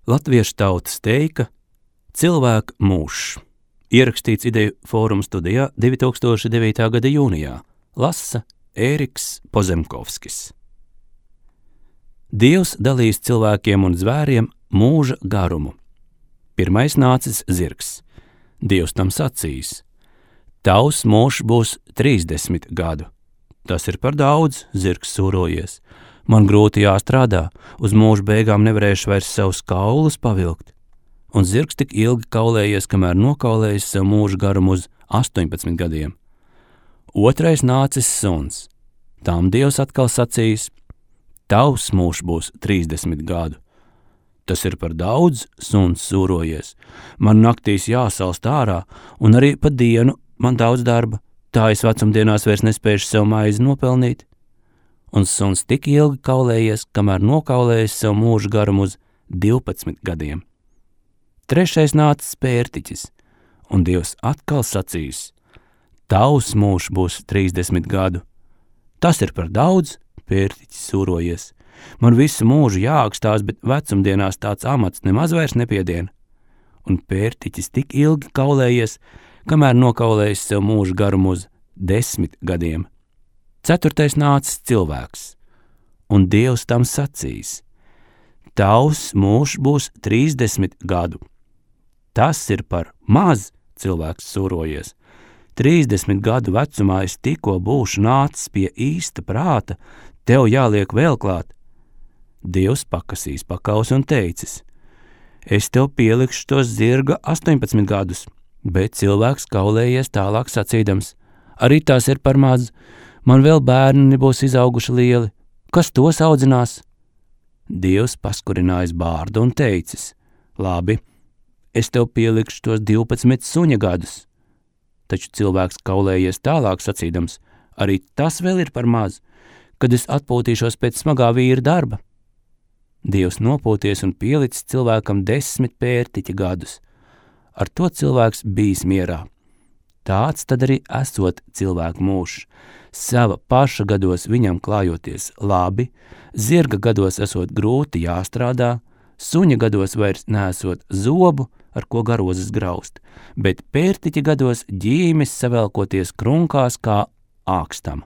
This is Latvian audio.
Latviešu tautas teika cilvēka mūžs. Ierakstīts Ideju fóruma studijā 2009. gada jūnijā. Lasa Ēriks Pozemkovskis. Dievs dalīs cilvēkiem un zvēriem mūža garumu. Pirmais nācis zirgs. Dievs tam sacīs: tavs mūžs būs 30 gadu. Tas ir par daudz, zirgs sūrojies. Man grūti jāstrādā, uz mūža beigām nevarēšu vairs savus kaulus pavilkt. Un zirgs tik ilgi kaulējies, kamēr nokaulējis savu mūža garumu uz 18 gadiem. Otrais nācis suns. Tām Dievs atkal sacīs: tavs mūžs būs 30 gadu. Tas ir par daudz, suns sūrojies. Man naktīs jāsalst ārā, un arī pa dienu man daudz darba. Tā es vecumdienās vairs nespēšu sev maizi nopelnīt. Un suns tik ilgi kaulējies, kamēr nokaulējis savu mūža garumu uz 12 gadiem. Trešais nācis pērtiķis, un Dievs atkal sacīs: tavs mūžs būs 30 gadu. Tas ir par daudz, pērtiķis sūrojies. Man visu mūžu jāakstās, bet vecumdienās tāds amats nemaz vairs nepiedien. Un pērtiķis tik ilgi kaulējies, kamēr nokaulējis sev mūža garumu uz 10 gadiem. Ceturtais nācis cilvēks, un Dievs tam sacīs: tavs mūžs būs 30 gadu. Tas ir par maz, cilvēks sūrojies. 30 gadu vecumā es tikko būšu nācis pie īsta prāta, tev jāliek vēl klāt. Dievs pakasīs pakaus un teicis: es tev pielikšu tos zirga 18 gadus, bet cilvēks kaulējies tālāk sacīdams: arī tās ir par maz. Man vēl bērni nebūs izauguši lieli. Kas tos audzinās? Dievs paskurinājis bārdu un teicis: labi, es tev pielikšu tos 12 suņa gadus. Taču cilvēks kaulējies tālāk sacīdams: arī tas vēl ir par maz, kad es atpūtīšos pēc smagā vīra darba. Dievs nopūties un pielicis cilvēkam 10 pērtiķa gadus. Ar to cilvēks bijis mierā. Tāds tad arī esot cilvēku mūžs. Sava paša gados viņam klājoties labi, zirga gados esot grūti jāstrādā, suņa gados vairs neesot zobu, ar ko garozes graust, bet pērtiķa gados ģīmis savelkoties krunkās kā ākstam.